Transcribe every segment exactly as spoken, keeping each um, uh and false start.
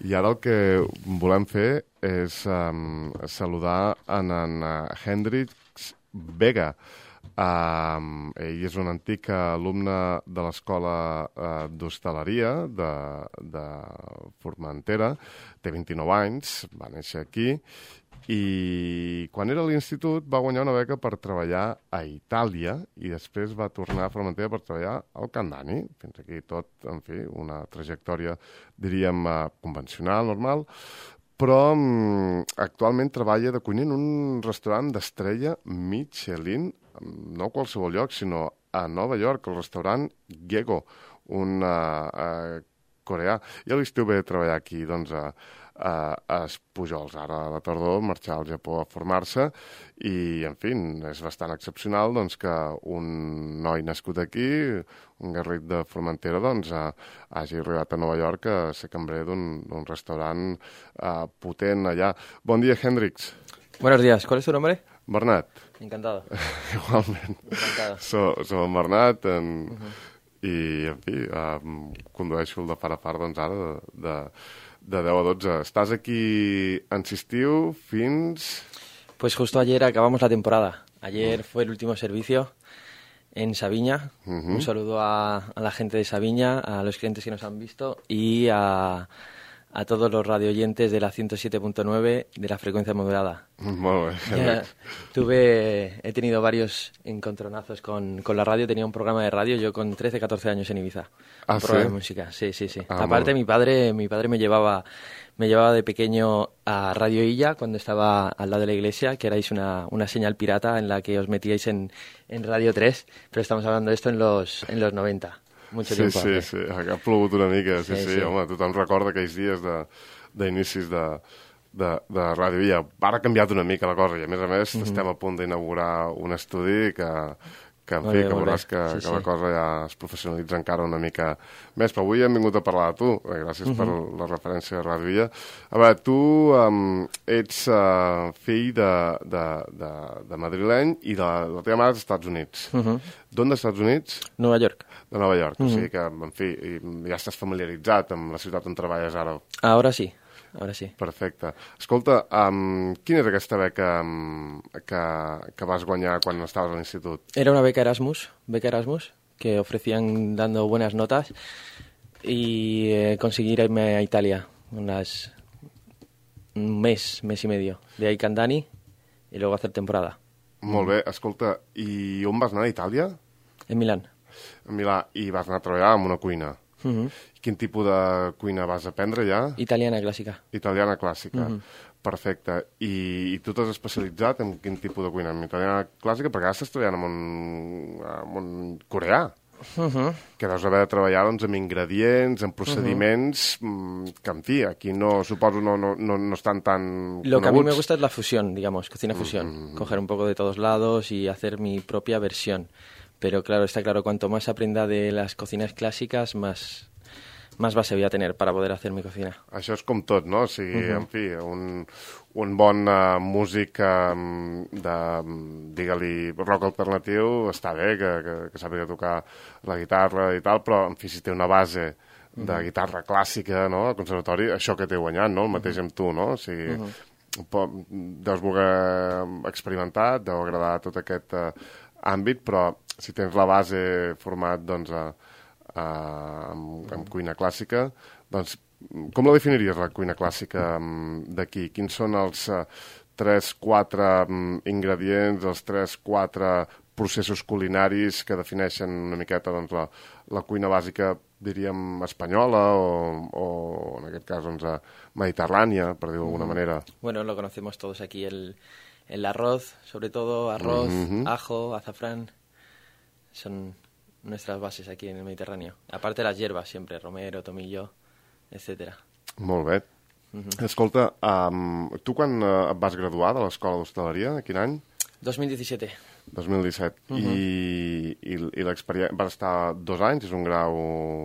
I ara el que volem fer és um, saludar en, en uh, Hendrix Vega. Um, ell és un antic alumne de l'Escola uh, d'Hostaleria de, de Formentera, té vint-i-nou anys, va néixer aquí, i quan era a l'institut va guanyar una beca per treballar a Itàlia i després va tornar a Formentera per treballar al Candani. Fins aquí tot, en fi, una trajectòria, diríem, uh, convencional, normal, però um, actualment treballa de cuiner en un restaurant d'estrella Michelin, no a qualsevol lloc, sinó a Nova York, el restaurant Gego, un uh, uh, coreà. I a l'estiu ve a treballar aquí, doncs, a, a, a Pujols. Ara a la tardor marxar al Japó a formar-se i, en fi, és bastant excepcional doncs, que un noi nascut aquí, un garrit de Formentera, doncs, uh, hagi arribat a Nova York a ser cambrer d'un restaurant uh, potent allà. Bon dia, Hendrix. Buenos días. ¿Cuál es tu nombre? Bernat. Encantado. Igualment. Encantado. Soc so en Bernat en, uh -huh. i, en fi, um, condueixo el de far a far, doncs, ara de, de, de deu a dotze. Estàs aquí en Sistiu fins... Pues justo ayer acabamos la temporada. Ayer uh -huh. fue el último servicio en Sabiña. Uh -huh. Un saludo a, a la gente de Sabiña, a los clientes que nos han visto y a... a todos los radioyentes de la ciento siete punto nueve de la frecuencia modulada. Molt bé. Ya, tuve, he tenido varios encontronazos con, con la radio. Tenía un programa de radio yo con trece, catorce años en Ibiza. ¿Ah, un sí? programa de música, sí, sí, sí. Ah, Aparte, mi padre, mi padre me llevaba, me llevaba de pequeño a Radio Illa cuando estaba al lado de la iglesia, que erais una, una señal pirata en la que os metíais en, en Radio tres, pero estamos hablando de esto en los, en los noventa. Mucho sí, tiempo sí, antes. sí, ha plogut una mica, sí, sí, sí, sí. home, tothom recorda aquells dies d'inicis de, de, de, de ràdio. I ara ha canviat una mica la cosa i, a més a més, mm -hmm. estem a punt d'inaugurar un estudi que, que en molt fi, bé, que veuràs que, sí, que sí. la cosa ja es professionalitza encara una mica més. Però avui hem vingut a parlar de tu, gràcies mm -hmm. per la referència a Ràdio Illa. A veure, tu um, ets uh, fill de, de, de, de madrileny i de, la teva mare és als Estats Units. Mm -hmm. D'on dels Estats Units? Nueva York. De Nova York, mm-hmm. O sigui que, en fi, ja estàs familiaritzat amb la ciutat on treballes ara. Ahora sí, ahora sí. Perfecte. Escolta, um, quina és aquesta beca um, que, que vas guanyar quan estaves a l'institut? Era una beca Erasmus, beca Erasmus, que ofrecían dando buenas notas y eh, conseguir irme a Italia unas, un mes, mes y medio, de ahí Candani y luego hacer temporada. Molt bé, escolta, i on vas anar a Itàlia? En Milán. A Milà, i vas anar a treballar en una cuina. Uh-huh. Quin tipus de cuina vas aprendre ja? Italiana clàssica. Italiana clàssica, uh-huh. Perfecte. I, I tu t'has especialitzat en quin tipus de cuina? En italiana clàssica, perquè ara estàs treballant amb un, amb un coreà, uh-huh. que deus haver de treballar doncs, amb ingredients, amb procediments, uh-huh. que, en fi, aquí no, suposo no, no, no, no estan tan Lo coneguts. que a mí me gusta es la fusión, digamos, cocina fusión. Uh-huh. Coger un poco de todos lados y hacer mi propia versión. Pero claro, está claro, cuanto más aprenda de las cocinas clásicas, más, más base voy a tener para poder hacer mi cocina. Això és com tot, no? O sigui, Uh-huh. en fi, un, un bon uh, músic um, de, digue-li, rock alternatiu, està bé que, que, que sàpiga tocar la guitarra i tal, però, en fi, si té una base de uh-huh. guitarra clàssica, no?, al conservatori, això que t'he guanyat, no?, el mateix uh-huh. amb tu, no? O sigui, uh-huh. deus voler experimentar, deu agradar tot aquest uh, àmbit, però si tens la base format doncs, a, a, amb, amb cuina clàssica, doncs com la definiries, la cuina clàssica d'aquí? Quins són els uh, tres quatre um, ingredients, els tres quatre processos culinaris que defineixen una miqueta doncs, la, la cuina bàsica, diríem, espanyola o, o en aquest cas, doncs, mediterrània, per dir-ho d'alguna manera? Bueno, lo conocemos todos aquí, el, el arroz, sobre todo arroz, uh-huh. ajo, azafrán. Son nuestras bases aquí en el Mediterráneo. Aparte las hierbas siempre, romero, tomillo, etcétera. Molt bé. Uh-huh. Escolta, um, tu quan uh, et vas graduar de l'Escola d'Hostaleria, quin any? dos mil disset. dos mil disset. Uh-huh. I, i, i l'experiència... Vas estar dos anys, és un grau...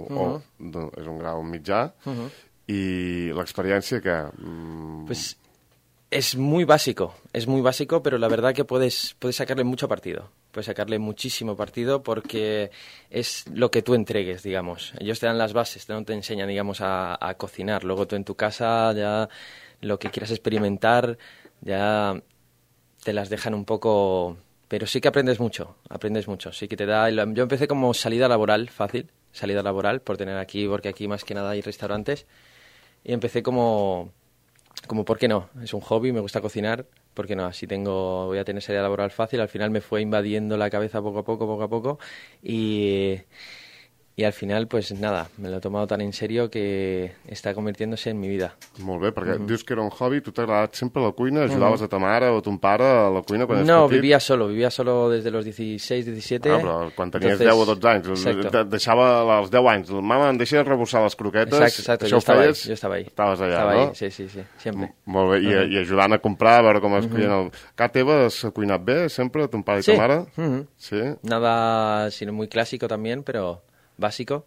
Uh-huh. o, do, és un grau mitjà. Uh-huh. I l'experiència que... Mm... Pues es muy básico, es muy básico, pero la verdad que puedes, puedes sacarle mucho partido. puedes sacarle muchísimo partido porque es lo que tú entregues, digamos. Ellos te dan las bases, no te enseñan, digamos, a, a cocinar. Luego tú en tu casa ya lo que quieras experimentar ya te las dejan un poco... Pero sí que aprendes mucho, aprendes mucho. Sí que te da... Yo empecé como salida laboral fácil, salida laboral, por tener aquí, porque aquí más que nada hay restaurantes. Y empecé como... Como, ¿por qué no? Es un hobby, me gusta cocinar, ¿por qué no? Así tengo, voy a tener salida laboral fácil. Al final me fue invadiendo la cabeza poco a poco, poco a poco. Y, y al final, pues nada, me lo he tomado tan en serio que está convirtiéndose en mi vida. Molt bé, perquè Uh-huh. dius que era un hobby, tu t'ha agradat sempre la cuina, ajudaves uh-huh. a ta mare o a ton pare a la cuina quan eres No, petit? vivía solo, vivía solo desde los dieciséis, diecisiete. Ah, però quan tenies Entonces, deu o dotze anys, exacto. de- deixava als deu anys, mama, em deixes rebossar les croquetes, Exacto, exacto, això yo ho estaba ahí, feies? yo estava ahí. Estaves allà, Estaba no? ahí, sí, sí, sí, siempre. M- Molt bé, I, Uh-huh. i ajudant a comprar, a veure com es cuina el... Ca teva has cuinat bé, sempre, ton pare i Sí. ta mare? Uh-huh. Sí? Nada, sino muy clásico también, pero básico.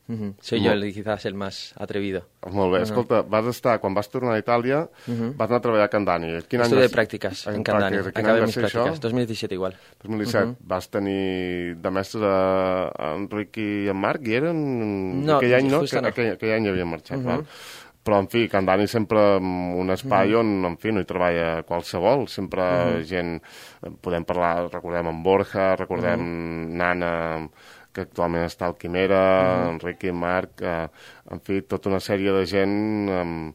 Uh-huh. Soy Mo- yo el, quizás el más atrevido. Molt bé, Uh-huh. escolta, vas estar, quan vas tornar a Itàlia, Uh-huh. vas anar a treballar a Can Dani. Quin any Estuve va de ser- prácticas en en Candani. pràctiques. Quin any Acabé va mis ser prácticas. això? dos mil diecisiete igual. dos mil disset. Uh-huh. Vas tenir de mestre a Enric i en Marc, i eren... No, aquell any, no? justo Que, no. aquell, aquell any havien marxat, Uh-huh. val? Però, en fi, Can Dani sempre un espai on, en fi, no hi treballa qualsevol, sempre Uh-huh. gent... Podem parlar, recordem en Borja, recordem Nana, que actualment està al Quimera, Enric i Marc, eh, en fi, tota una sèrie de gent eh,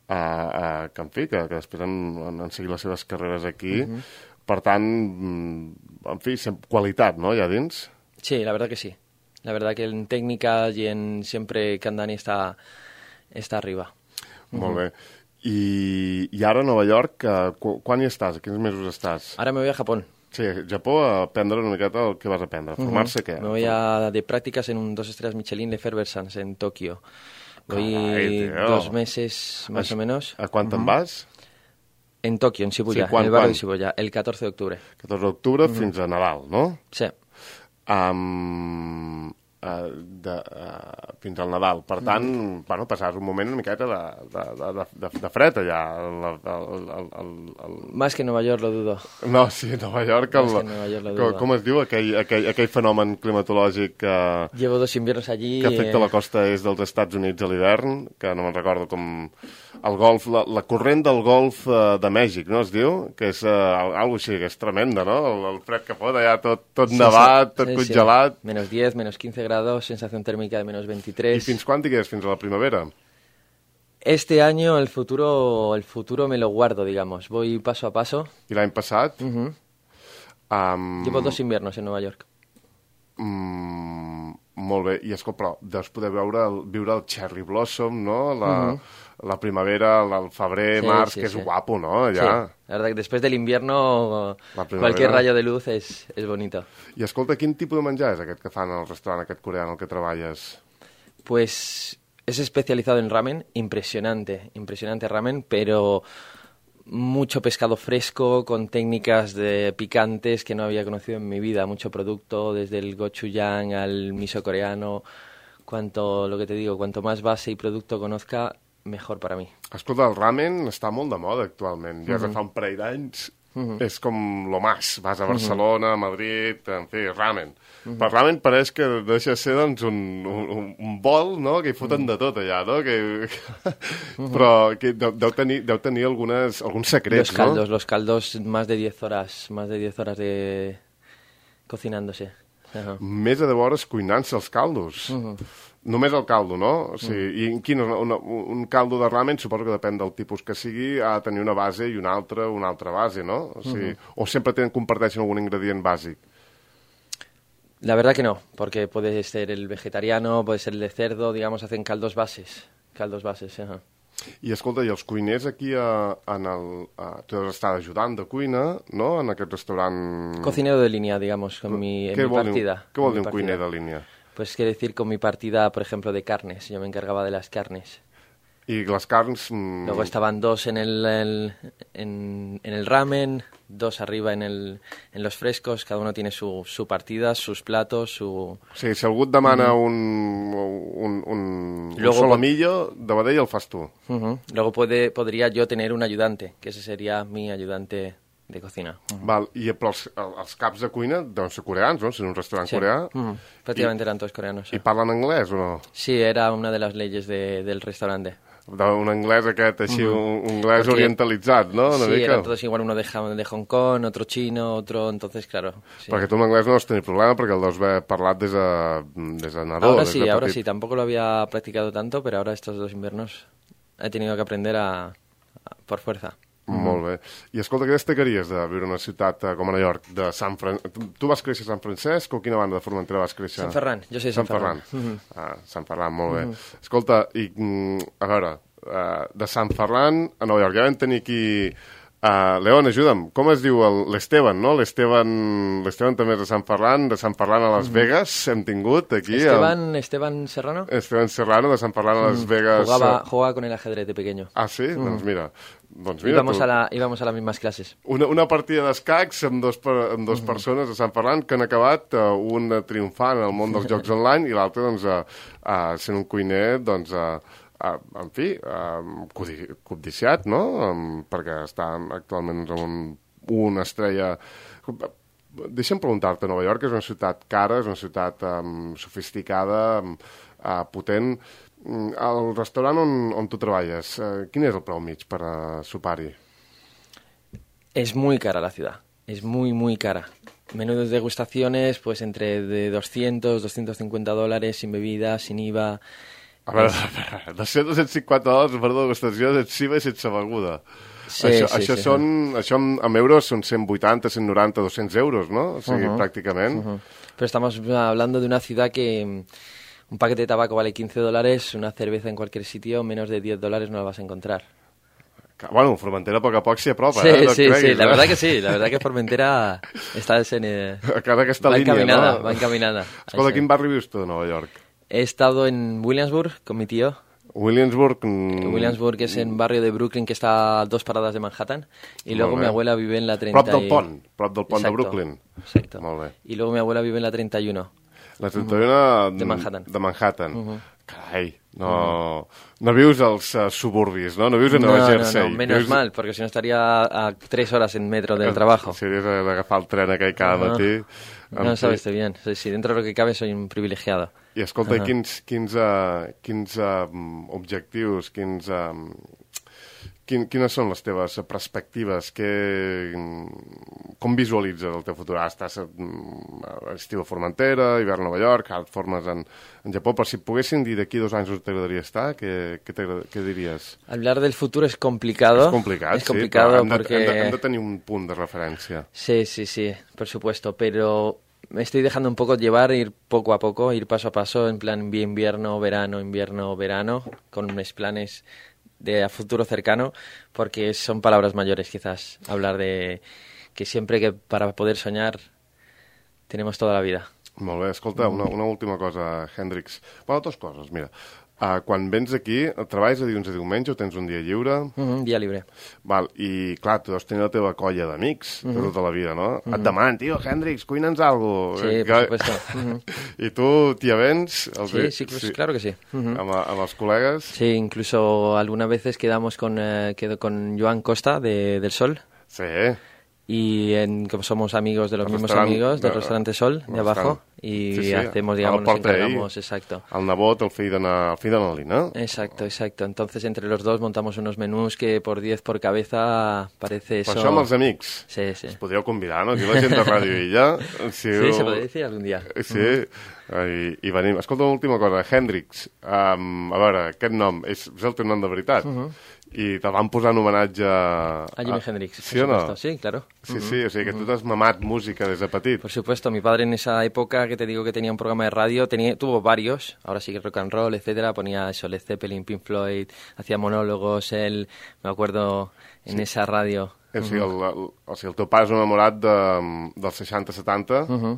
eh, que, en fi, que, que després han, han, han seguit les seves carreres aquí. Per tant, mm, en fi, sem- qualitat, no?, allà dins. Sí, la verdad que sí. La verdad que en técnicas y en siempre Candani está, está arriba. Molt bé. I, I ara a Nova York, eh, qu quan hi estàs? A quins mesos estàs? Ahora me voy a Japón. Sí, a Japó, a aprendre una miqueta el que vas aprendre. Formar-se què? Me voy a de prácticas en un dos estrellas Michelin de Ferversans en Tokio. Voy Caray, tío. dos meses más o menos A quan te'n vas? en Tokio, en Shibuya, Sí, ¿cuán- en el barrio cuán? de Shibuya, el catorce de octubre. catorze d'octubre fins a Nadal, no? Sí. Um, uh, de, uh, fins al Nadal. Per tant, bueno, passaràs un moment una miqueta de, de, de, de, de fred allà. El, el, el, el, el... Más que en Nueva York lo dudo. No, sí, a Nova York, el, És que Nova York la com, duda. com es diu aquell, aquell, aquell fenomen climatològic que, Llevo dos inviernos allí. que afecta eh, la costa est dels Estats Units a l'hivern, que no me'n recordo com... El golf, la, la corrent del golf eh, de Mèxic, no es diu? Que és eh, alguna així, que és tremenda, no? El, el fred que fot allà, tot, tot sí, nevat, sí, tot sí, congelat. sí. Menos diez, menos quince grados, sensación térmica de menos I veintitrés. fins quan digués? Fins a la primavera? Este año el futuro, el futuro me lo guardo, digamos. Voy paso a paso. I l'any passat? Ujú. Um, Llevo dos inviernos en Nueva York. mm, molt bé. I, escolta, però deus poder veure el, viure el cherry blossom, no? La, la primavera, el, el febrer, Sí, març, sí, que és sí. guapo, no? Sí, Allà. la verdad que después del invierno La primavera. cualquier rayo de luz es, es bonito. I escolta, quin tipus de menjar és aquest que fan al restaurant aquest coreà en el que treballes? Pues es especializado en ramen, impresionante, impresionante ramen, pero mucho pescado fresco con técnicas de picantes que no había conocido en mi vida, mucho producto, desde el gochujang al miso coreano, cuanto, lo que te digo, cuanto más base y producto conozca, mejor para mí. Escolta, el ramen està molt de moda actualment. Ja uh -huh. fa un parell d'anys uh -huh. és com lo más. Vas a Barcelona, a Madrid, en fi, ramen. Uh -huh. Per ramen pareix que deixa de ser doncs, un, un, un bol, no?, que hi foten uh -huh. de tot allà, no? Que... uh -huh. Però que deu, deu, tenir, deu tenir algunes, alguns secrets, Los caldos, no? los caldos, más de diez horas, más de diez horas de cocinándose. Ajá. Més de deu hores cuinant-se els caldos. Uh -huh. Només el caldo, no? O sigui, I quin, una, un caldo de ramen, suposo que depèn del tipus que sigui, ha de tenir una base i una altra, una altra base, no? O, sigui, uh -huh. o sempre tenen, comparteixen algun ingredient bàsic? La verdad que no, porque puede ser el vegetariano, puede ser el de cerdo, digamos, hacen caldos bases. Caldos bases, ajá. I escolta, i els cuiners aquí a, en el... A, tu has estat ajudant de cuina, no?, en aquest restaurant... Cocinero de línea, digamos, con mi, en Què mi vol dir, partida. què vol en dir mi un cuiner partida. de línia? Pues quiere decir con mi partida, por ejemplo, de carnes. Yo me encargaba de las carnes. I les carns... Mm, Luego estaban dos en el, el- en, en el ramen, dos arriba en, el, en los frescos. Cada uno tiene su, su partida, sus platos, su... O sigui, si algú et demana un, un, un, Luego un pot- solomillo, de vedell el fas tu. Ujú. Luego puede, podría yo tener un ayudante, que ese sería mi ayudante de cocina. Uh-huh. Val, i però els, els caps de cuina deuen ser coreans, no? Si és un restaurant sí. coreà. Uh-huh. Prácticamente eran todos coreanos. ¿Y parlan anglès o no? Sí, era una de las leyes de, del restaurante. Un anglès aquest, així, uh-huh. un anglès Porque, orientalitzat, no? Una sí, mica. eran todos igual, uno de, de Hong Kong, otro chino, otro, entonces, claro. Sí. Perquè tu amb anglès no has tenir problema, perquè el deus haver parlat des de, des de nadó. Ahora des sí, de ahora petit. sí, tampoco lo había practicado tanto, pero ahora estos dos inviernos he tenido que aprender a, a por fuerza. Mm. Molt bé. I escolta, què destacaries de viure en una ciutat uh, com a Nova York, de Sant Fran... Tu, tu vas créixer a Sant Francesc o quina banda de Formentera vas créixer? Sant Ferran, jo soy de Sant, Sant Ferran. Ferran. Mm-hmm. Ah, Sant Ferran, molt bé. Mm-hmm. Escolta, i, mm, a veure, uh, de Sant Ferran a Nova York, ja vam tenir aquí... Uh, León, ajuda'm, com es diu l'Esteban, no? L'Esteban l'Esteban també és de Sant Ferran, de Sant Ferran a Las Vegas, hem tingut aquí... Esteban, el... Esteban Serrano? Esteban Serrano, de Sant Ferran a Las Vegas... Jugaba, jugaba con el ajedrez de pequeño. Ah, sí? Mm. Doncs mira... Doncs mira íbamos, a la, íbamos a las mismas clases. Una, una partida d'escacs amb dos, amb dos mm. persones de Sant Ferran que han acabat, uh, un triomfant en el món dels jocs online i l'altre, doncs, uh, uh, sent un cuiner, doncs... Uh, Uh, en fi, uh, codiciat, no? Um, perquè està actualment amb un, una estrella... Deixa'm preguntar-te, Nova York és una ciutat cara, és una ciutat um, sofisticada, um, uh, potent. Um, el restaurant on, on tu treballes, uh, quin és el preu mig per uh, sopar-hi? Es muy cara la ciudad, es muy, muy cara. Menú de degustaciones, pues entre de doscientos, doscientos cincuenta dólares, sin bebida, sin I V A... A veure, dos-cents, dos-cents cinquanta dòlars per degustació sense I V A i sense beguda. Sí, això, sí, això, sí, són, sí. això en euros són cent vuitanta, cent noranta, dos-cents euros, no? O sigui, uh-huh. pràcticament. Uh-huh. Pero estamos hablando de una ciudad que un paquete de tabaco vale quince dólares, una cerveza en cualquier sitio, menos de diez dólares no la vas a encontrar. Bueno, Formentera a poc a poc s'hi apropa, sí, eh? No sí, creguis, sí, la eh? verdad que sí, la verdad que Formentera está en, eh, cada aquesta va línia, encaminada, no? va encaminada. Escolta, quin barri vius tu de Nova York? He estado en Williamsburg con mi tío. Williamsburg... Mm, Williamsburg es en barrio de Brooklyn que está a dos paradas de Manhattan. Y luego mi abuela vive en la treinta. Prop del pont, prop del pont exacto, de Brooklyn. Exacto. Molt bé. Y luego mi abuela vive en la treinta y uno. La treinta y uno de Manhattan. De Manhattan. Uh-huh. Carai, no, no vius als uh, suburbis, no? No vius a Nova no, Jersey. No, no, menos vius... mal, porque si no estaría a tres horas en metro del trabajo. Series d'agafar el tren aquell cada uh-huh. matí. No, sabes bien. Sí, sí, dentro de lo que cabe soy un privilegiado. I escolta, uh-huh. quins, quins, uh, quins uh, objectius, quins, uh, quin, quines són les teves perspectives? Que, com visualitzes el teu futur? Ara estàs a estiu a Formentera, hivern a Nova York, ara et formes en, en Japó, però si et poguessin dir d'aquí dos anys on t'agradaria estar, què, què, què diries? Hablar del futuro es complicado. Es complicat, es complicado sí, hem de, porque... hem, de, hem de tenir un punt de referència. Sí, sí, sí, por supuesto, pero... Me estoy dejando un poco llevar, ir poco a poco, ir paso a paso, en plan invierno, verano, invierno, verano, con mis planes de a futuro cercano, porque son palabras mayores quizás, hablar de que siempre que para poder soñar tenemos toda la vida. Molt bé, escolta, una, una última cosa, Hendrix. Bueno, dues coses, mira. Uh, quan vens aquí, treballes de dilluns a diumenge o tens un dia lliure? Uh-huh, dia libre. Val, i clar, tu deus tenir la teva colla d'amics uh-huh. de tota la vida, no? Uh-huh. Et demanen, tio, Hendrix, cuina'ns algo. Sí, que... por supuesto. Uh-huh. I tu t'hi avens? Els... Sí, sí, pues, sí, claro que sí. Uh-huh. Amb, amb els col·legues? Sí, incluso algunas veces quedamos con, eh, quedo con Joan Costa de, del Sol. Sí. Y en, como somos amigos de los el mismos amigos del de, restaurante Sol de abajo y sí, sí, hacemos, digamos, nos encargamos, exacto. El nebot, el fill de, el fill de Noli, ¿no? Exacto, exacto. Entonces entre los dos montamos unos menús que por diez por cabeza parece eso... Per això amb els amics. Sí, sí. Es podríeu convidar, no? Aquí la gent de Ràdio Illa. Si sí, se podria dir algun dia. Sí, uh-huh. I, i venim. Escolta, una última cosa, Hendrix, um, a veure, aquest nom, és, és el teu nom de veritat? Uh-huh. I te van posar en homenatge a... A Jimi Hendrix, ¿sí o no? Sí, claro. Sí, sí, o sigui que tu t'has mamat música des de petit. Por supuesto, mi padre en esa época que te digo que tenía un programa de radio, tenía, tuvo varios, ahora sí que rock and roll, etcétera, ponía eso, Led Zeppelin, Pink Floyd, hacía monólogos, él, me acuerdo, en sí. esa radio. O sigui, el, el, o sigui, el teu pare és un enamorat de, dels seixanta setanta uh-huh.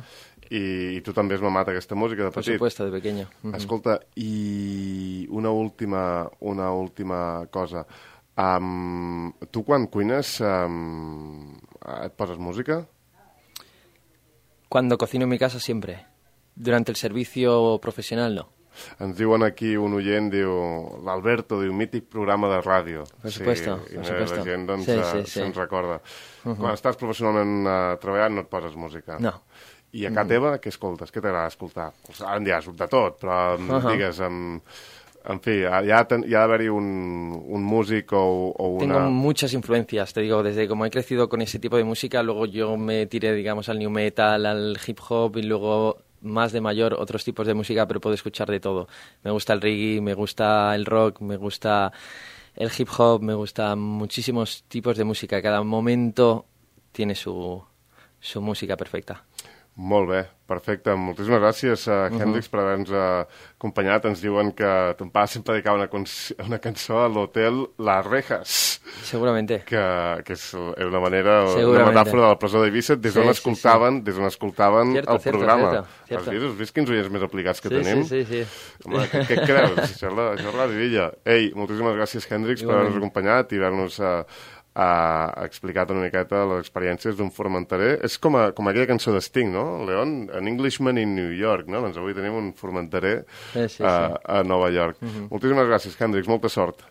i, i tu també has mamat aquesta música de petit. Por supuesto, de pequeño. Uh-huh. Escolta, i una última, una última cosa. Um, tu quan cuines um, et poses música? Cuando cocino en mi casa siempre. Durante el servicio profesional no. Ens diuen aquí un oient, diu, l'Alberto, diu, mític programa de ràdio. Per supuesto, sí, per supuesto. La gent, doncs, sí, sí, sí, sí. se'n recorda. Uh -huh. Quan estàs professionalment uh, treballant no et poses música. No. I a casa mm. teva, què escoltes? Què t'agrada escoltar? Pues, ara en diràs de tot, però uh -huh. digues, en, en fi, hi ha, hi ha d'haver-hi un, un músic o, o una... Tengo muchas influencias, te digo, desde como he crecido con ese tipo de música, luego yo me tiré, digamos, al new metal, al hip hop y luego más de mayor otros tipos de música, pero puedo escuchar de todo. Me gusta el reggae, me gusta el rock, me gusta el hip hop, me gustan muchísimos tipos de música. Cada momento tiene su, su música perfecta. Molt bé, perfecte. Moltíssimes gràcies, uh, Hendrix, uh -huh. per haver-nos uh, acompanyat. Ens diuen que ton pare sempre dedicava una, una cançó a l'hotel Las Rejas. Seguramente. Que, que és una manera, una metàfora de la presó d'Eivissa, des d'on sí, escoltaven, sí, sí. des d'on escoltaven cierto, el cierto, programa. Cierto, cierto. Has vist? Has vist quins oients més aplicats que sí, tenim? Sí, sí, sí. Home, què, què creus? Això és la, això és la divilla. Ei, moltíssimes gràcies, Hendrix, per haver-nos acompanyat i haver-nos... Uh, ha explicat una miqueta les experiències d'un formenterer. És com, a, com aquella cançó de Sting, no? Leon, An Englishman in New York, no? Doncs avui tenim un formenterer sí, sí, a, sí. a Nova York. Uh -huh. Moltíssimes gràcies, Hendrix, molta sort.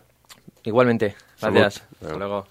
Igualmente. Gracias. Hasta luego.